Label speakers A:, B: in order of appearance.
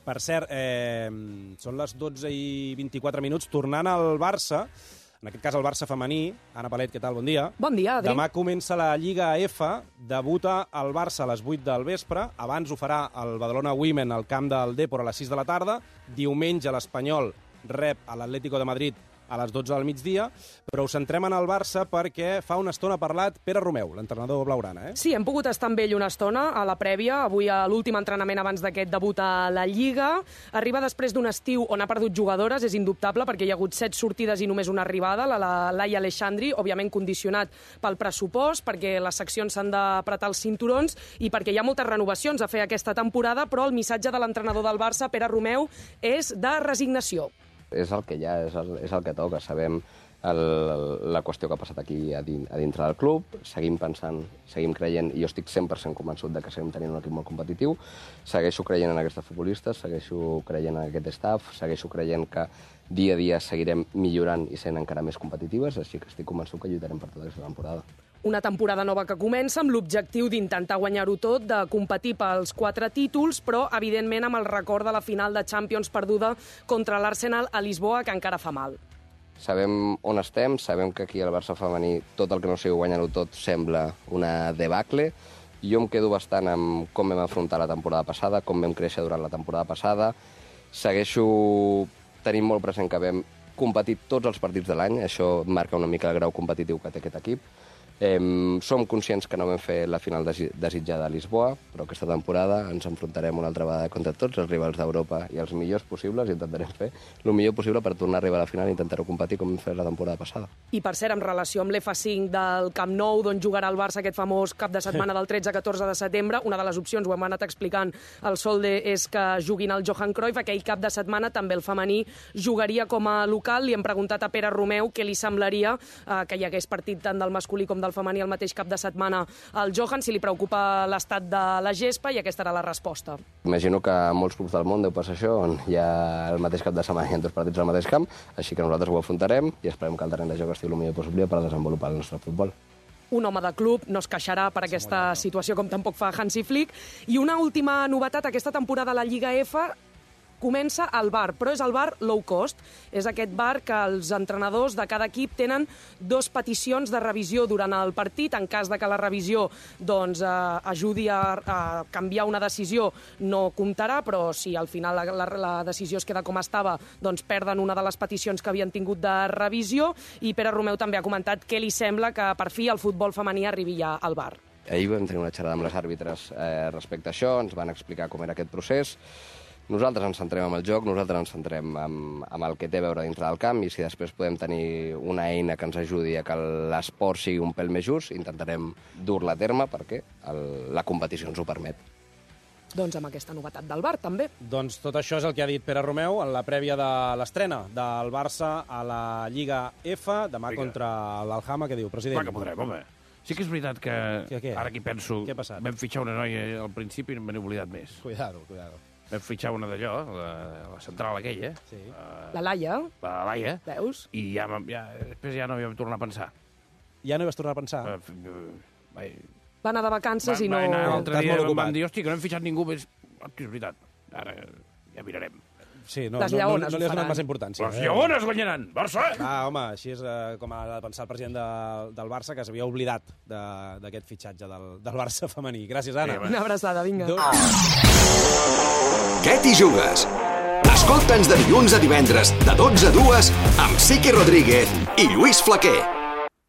A: Per cert, són les 12:24, tornant al Barça, en aquest cas el Barça femení. Anna Palet, què tal? Bon dia.
B: Bon dia, Adri.
A: Demà comença la Lliga F, debuta el Barça a les 8 del vespre, abans ho farà el Badalona Women al camp del Dépor a les 6 de la tarda, diumenge l'Espanyol rep a l'Atlético de Madrid a les 12 del migdia, però us centrem en el Barça perquè fa una estona ha parlat Pere Romeu, l'entrenador blaugrana.
B: Sí, hem pogut estar amb ell una estona a la prèvia, avui a l'últim entrenament abans d'aquest debut a la Lliga. Arriba després d'un estiu on ha perdut jugadores, és indubtable, perquè hi ha hagut 7 sortides i només una arribada, la Laia Aleixandri, òbviament condicionat pel pressupost, perquè les seccions s'han d'apretar els cinturons i perquè hi ha moltes renovacions a fer aquesta temporada, però el missatge de l'entrenador del Barça, Pere Romeu, és de resignació.
C: És el que hi ha, és el que toca. Sabem la qüestió que ha passat aquí a dintre del club, seguim pensant, seguim creient, i jo estic 100% convençut de que seguim tenint un equip molt competitiu, segueixo creient en aquestes futbolistes, segueixo creient en aquest staff, segueixo creient que dia a dia seguirem millorant i sent encara més competitives, així que estic convençut que lluitarem per tota aquesta temporada.
B: Una temporada nova que comença amb l'objectiu d'intentar guanyar-ho tot, de competir pels 4 títols, però, evidentment, amb el record de la final de Champions perduda contra l'Arsenal a Lisboa, que encara fa mal.
C: Sabem on estem, sabem que aquí al Barça femení tot el que no sigui guanyar-ho tot sembla una debacle. Jo em quedo bastant amb com vam afrontar la temporada passada, com vam créixer durant la temporada passada. Segueixo tenint molt present que vam competir tots els partits de l'any, això marca una mica el grau competitiu que té aquest equip. Som conscients que no vam fer la final desitjada a Lisboa, però aquesta temporada ens enfrontarem una altra vegada contra tots els rivals d'Europa i els millors possibles, i intentarem fer el millor possible per tornar a arribar a la final i intentar-ho competir com vam fer la temporada passada.
B: I per cert, en relació amb l'F5 del Camp Nou, d'on jugarà el Barça aquest famós cap de setmana del 13-14 de setembre, una de les opcions, ho hem anat explicant al Solde, és que juguin al Johan Cruyff. Aquell cap de setmana també el femení jugaria com a local. Li hem preguntat a Pere Romeu què li semblaria que hi hagués partit tant del masculí com del femení el mateix cap de setmana al Johan, si li preocupa l'estat de la gespa, i aquesta era la resposta.
C: Imagino que a molts clubs del món deu passar això, on hi ha el mateix cap de setmana i en 2 partits al mateix camp, així que nosaltres ho afrontarem i esperem que el terreny de joc estigui el millor possible per desenvolupar el nostre futbol.
B: Un home de club no es queixarà per aquesta situació, com tampoc fa Hansi Flick. I una última novetat, aquesta temporada a la Lliga F comença al bar, però és el bar low cost. És aquest bar que els entrenadors de cada equip tenen 2 peticions de revisió durant el partit. En cas de que la revisió ajudi a canviar una decisió, no comptarà, però si al final la decisió es queda com estava, doncs perden una de les peticions que havien tingut de revisió. I Pere Romeu també ha comentat què li sembla que per fi el futbol femení arribi ja al bar.
C: Ahir vam tenir una xerrada amb les àrbitres respecte a això, ens van explicar com era aquest procés. Nosaltres ens centrem en el joc, nosaltres ens centrem en el que té a veure dintre del camp, i si després podem tenir una eina que ens ajudi a que l'esport sigui un pèl més just, intentarem dur-la a terme perquè la competició ens ho permet.
B: Doncs amb aquesta novetat del bar, també.
A: Doncs tot això és el que ha dit Pere Romeu en la prèvia de l'estrena del Barça a la Lliga F, demà contra l'Alhama. Què diu, president?
D: Clar que podrem, home. Sí que és veritat que, ara que hi penso, vam fitxar una noia al principi i me n'he oblidat més.
A: Cuidado.
D: Vam fitxar una d'allò, la central aquella.
B: Sí. La Laia.
D: La Laia.
B: Veus?
D: I després ja no hi vam tornar a pensar.
A: Ja no hi vas tornar a pensar?
B: Va anar de vacances i no...
D: L'altre dia vam dir, hòstia, que no hem fitxat ningú més. És veritat, ara ja mirarem.
A: Sí, no
B: les
A: li has donat massa importància.
D: Les lleones guanyaran, Barça!
A: Home, així és com ha de pensar el president del Barça, que s'havia oblidat d'aquest fitxatge del Barça femení. Gràcies, Anna.
B: Una abraçada, vinga.
E: Què t'hi jugues? Escolta'ns de dilluns a divendres, de 12 a 2, amb Sique Rodríguez i Lluís Flaquer.